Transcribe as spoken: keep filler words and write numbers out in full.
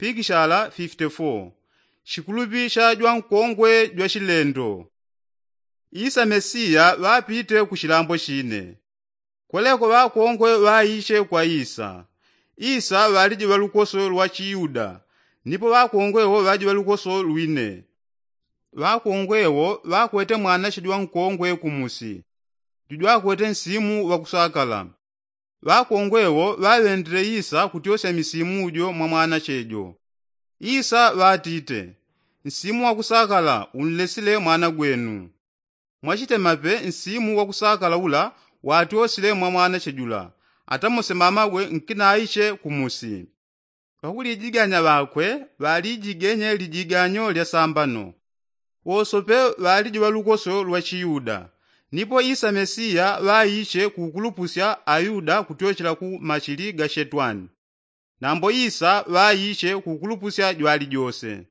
pikishala fifite fo. Shikulupi sha jwankongwe jwa shilendo. Isa mesiya ŵapite ku shilambo shine. Kweleko ŵakongwe ŵaishe kwa isa. Isa ŵaliji ŵa lukoso lwa chiyuda, nipo ŵakongwe wo ŵaji ŵa lukoso lwine. Ŵakongwe wo ŵakwete mwanache jwankongwe kumusi, jujwakwete nsimu ŵakusakala. Ŵakongwe wo ŵaŵendile isa kutyosya misimu jo mwa mwanache jo. Isa ŵatite, nsimu ŵakusakala unlesile mwana gwenu. Mwachitema pe nsimu ŵakusakala ula watyosile mwa mwanache jula, atamose mamawe nkinaiche kumusi. Ŵakulijiganya ŵakwe ŵalijigenye lijiganyo lya sambano. Wosope ŵaliji ŵa lukoso lwa chiyuda. Nipo isa mesiya ŵaiche kukulupusya ayuda kutyochela ku machili ga shetwani. Nambo isa ŵaiche kukulupusya jwalijose.